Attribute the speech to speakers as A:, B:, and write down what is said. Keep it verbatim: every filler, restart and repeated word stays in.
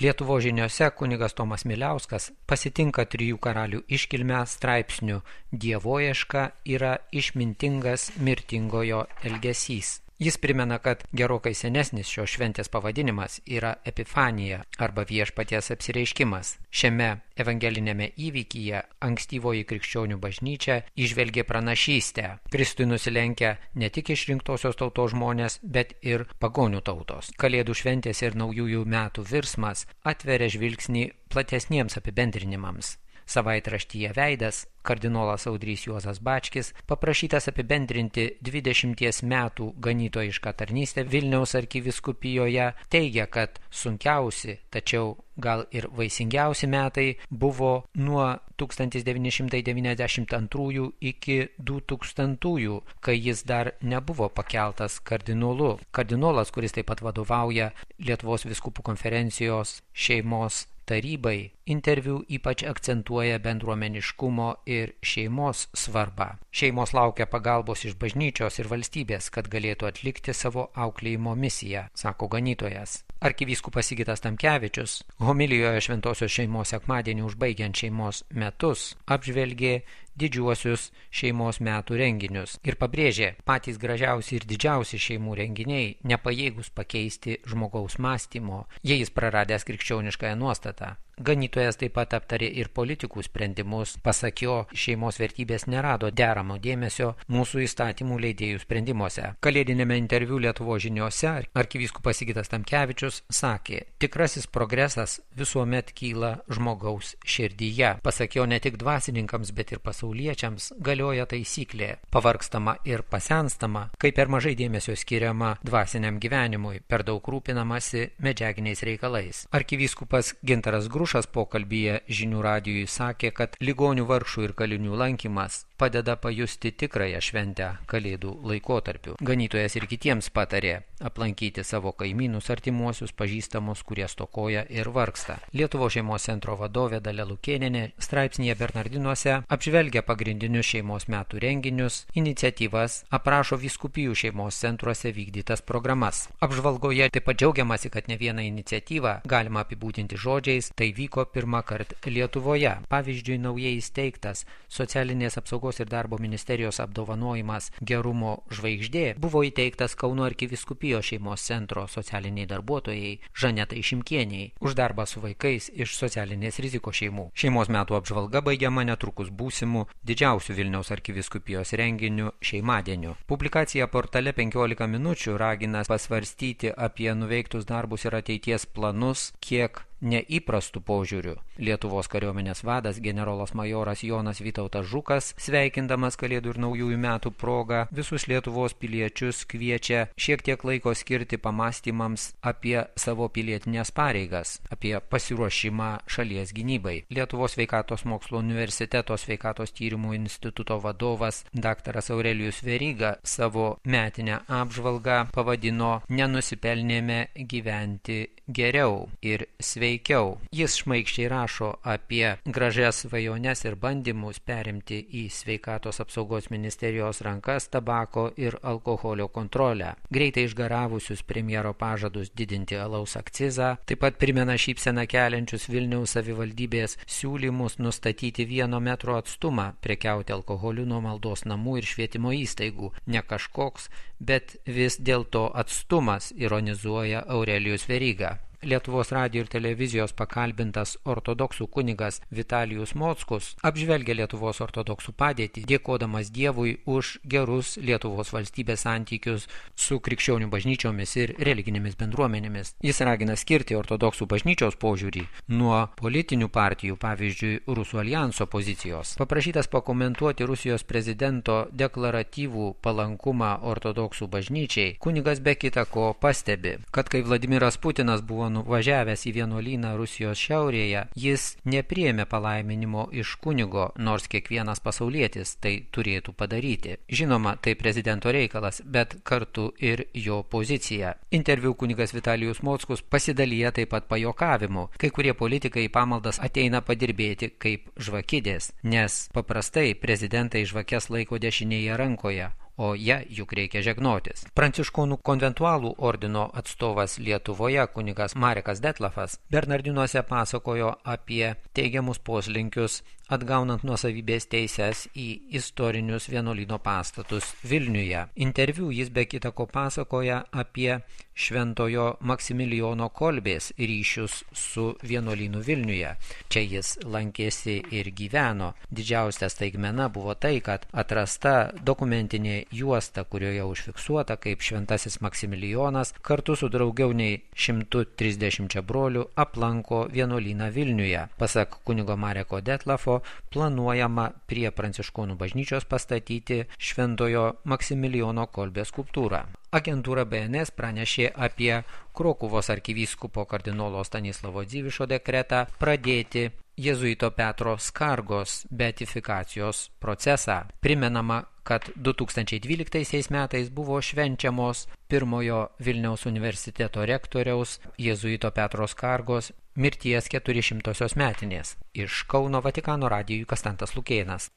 A: Lietuvos žiniose kunigas Tomas Miliauskas pasitinka trijų karalių iškilmę straipsniu "Dievoieška yra išmintingas mirtingojo elgesys". Jis primena, kad gerokai senesnis šios šventės pavadinimas yra Epifanija arba viešpaties apsireiškimas. Šiame evangelinėme įvykyje ankstyvoji krikščionių bažnyčia įžvelgė pranašystę. Kristui nusilenkia ne tik išrinktosios tautos žmonės, bet ir pagonių tautos. Kalėdų šventės ir naujųjų metų virsmas atveria žvilgsnį platesniems apibendrinimams. Savaitraštyje Veidas kardinolas Audrys Juozas Bačkis, paprašytas apibendrinti dvidešimties metų ganytojišką tarnystę Vilniaus arkivyskupijoje, teigia, kad sunkiausi, tačiau gal ir vaisingiausi metai buvo nuo tūkstantis devyni šimtai devyniasdešimt antrųjų iki du tūkstantųjų, kai jis dar nebuvo pakeltas kardinolu. Kardinolas, kuris taip pat vadovauja Lietuvos vyskupų konferencijos šeimos tarybai, interviu ypač akcentuoja bendruomeniškumo ir šeimos svarbą. Šeimos laukia pagalbos iš bažnyčios ir valstybės, kad galėtų atlikti savo auklėjimo misiją, sako ganytojas. Arkivyskupas Sigitas Tamkevičius homilijoje Šventosios šeimos sekmadienį užbaigiant šeimos metus apžvelgė didžiuosius šeimos metų renginius ir pabrėžė, patys gražiausi ir didžiausi šeimų renginiai nepajėgus pakeisti žmogaus mąstymo, jei jis praradęs krikščioniškąją nuostatą. Ganytojas taip pat aptarė ir politikų sprendimus. Pasak jo, šeimos vertybės nerado deramo dėmesio mūsų įstatymų leidėjų sprendimuose. Kalėdinėme interviu Lietuvos žiniose arkivyskupas Sigitas Tamkevičius sakė, tikrasis progresas visuomet kyla žmogaus širdyje. Pasak jo, ne tik dvasininkams, bet ir pasauliečiams galioja taisyklė, pavargstama ir pasenstama, kai per mažai dėmesio skiriama dvasiniam gyvenimui, per daug rūpinamasi medžiaginiais reikalais. Arkivyskupas Gintaras Grušas pokalbyje Žinių radijui sakė, kad ligonių, vargšų ir kalinių lankymas padeda pajusti tikrąją šventę Kalėdų laikotarpiu. Ganytojas ir kitiems patarė aplankyti savo kaimynus, artimuosius, pažįstamus, kurie stokoja ir vargsta. Lietuvos šeimos centro vadovė Dalia Lukėnienė straipsnyje Bernardinuose apžvelgia pagrindinius šeimos metų renginius, iniciatyvas, aprašo vyskupijų šeimos centruose vykdytas programas. Apžvalgoje taip pat džiaugiamasi, kad ne vieną iniciatyvą galima apibūdinti žodžiais, tai vyko pirmą kartą Lietuvoje. Pavyzdžiui, naujai įsteigtas socialinės apsaugos ir darbo ministerijos apdovanojimas Gerumo žvaigždė buvo įteiktas Kauno arkivyskupijos šeimos centro socialiniai darbuotojai Žanetai Šimkieniai už darbą su vaikais iš socialinės rizikos šeimų. Šeimos metų apžvalga baigiama netrukus būsimų didžiausių Vilniaus arkivyskupijos renginių šeimadieniu. Publikacija portale penkiolika minučių ragina pasvarstyti apie nuveiktus darbus ir ateities planus, kiek neįprastų požiūrių. Lietuvos kariuomenės vadas generolas majoras Jonas Vytautas Žukas, sveikindamas Kalėdų ir naujųjų metų progą, visus Lietuvos piliečius kviečia šiek tiek laiko skirti pamastymams apie savo pilietinės pareigas, apie pasiruošimą šalies gynybai. Lietuvos sveikatos mokslo universiteto sveikatos tyrimų instituto vadovas daktaras Aurelijus Veryga savo metinę apžvalgą pavadino "Nenusipelnėme gyventi geriau ir sveikiau". Jis šmaikščiai rašo apie gražias svajones ir bandymus perimti į sveikatos apsaugos ministerijos rankas tabako ir alkoholio kontrolę. Greitai išgaravusius premjero pažadus didinti alaus akcizą, taip pat primena šypseną keliančius Vilniaus savivaldybės siūlymus nustatyti vieno metro atstumą prekiauti alkoholiu nuo maldos namų ir švietimo įstaigų. Ne kažkoks, bet vis dėlto atstumas, ironizuoja Aurelijus Veryga. Lietuvos radijo ir televizijos pakalbintas ortodoksų kunigas Vitalijus Mockus apžvelgia Lietuvos ortodoksų padėtį, dėkodamas Dievui už gerus Lietuvos valstybės santykius su krikščionių bažnyčiomis ir religinėmis bendruomenėmis. Jis ragina skirti ortodoksų bažnyčios požiūrį nuo politinių partijų, pavyzdžiui, Rusų alijanso pozicijos. Paprašytas pakomentuoti Rusijos prezidento deklaratyvų palankumą ortodoksų bažnyčiai, kunigas be kita ko pastebi, kad kai Vladimiras Putinas buvo nuvažiavęs į vienuolyną Rusijos šiaurėje, jis nepriėmė palaiminimo iš kunigo, nors kiekvienas pasaulietis tai turėtų padaryti. Žinoma, tai prezidento reikalas, bet kartu ir jo pozicija. Interviu kunigas Vitalijus Mockus pasidalyja taip pat pajuokavimu. Kai kurie politikai į pamaldas ateina padirbėti kaip žvakidės, nes paprastai prezidentai žvakes laiko dešinėje rankoje, o ja juk reikia žegnotis. Pranciškonų konventualų ordino atstovas Lietuvoje kunigas Marekas Detlefas Bernardinuose pasakojo apie teigiamus poslinkius atgaunant nuosavybės teises į istorinius vienuolyno pastatus Vilniuje. Interviu jis be kita ko pasakoja apie šventojo Maksimilijono Kolbės ryšius su vienuolynu Vilniuje. Čia jis lankėsi ir gyveno. Didžiausia staigmena buvo tai, kad atrasta dokumentinė juosta, kurioje užfiksuota, kaip šventasis Maksimilijonas kartu su daugiau nei šimtu trisdešimčia brolių aplanko vienuolyną Vilniuje. Pasak kunigo Mareko Detlefo, planuojama prie Pranciškonų bažnyčios pastatyti šventojo Maksimilijono Kolbės skulptūrą. Agentūra B N S pranešė apie Krokuvos arkivyskupo kardinolo Stanislavo Dzivišo dekretą pradėti jėzuito Petro Skargos beatifikacijos procesą. Primenama, kad du tūkstančiai dvyliktaisiais metais buvo švenčiamos pirmojo Vilniaus universiteto rektoriaus jėzuito Petro Skargos mirties keturišimtosios metinės. Iš Kauno Vatikano radijui Kastantas Lukėnas.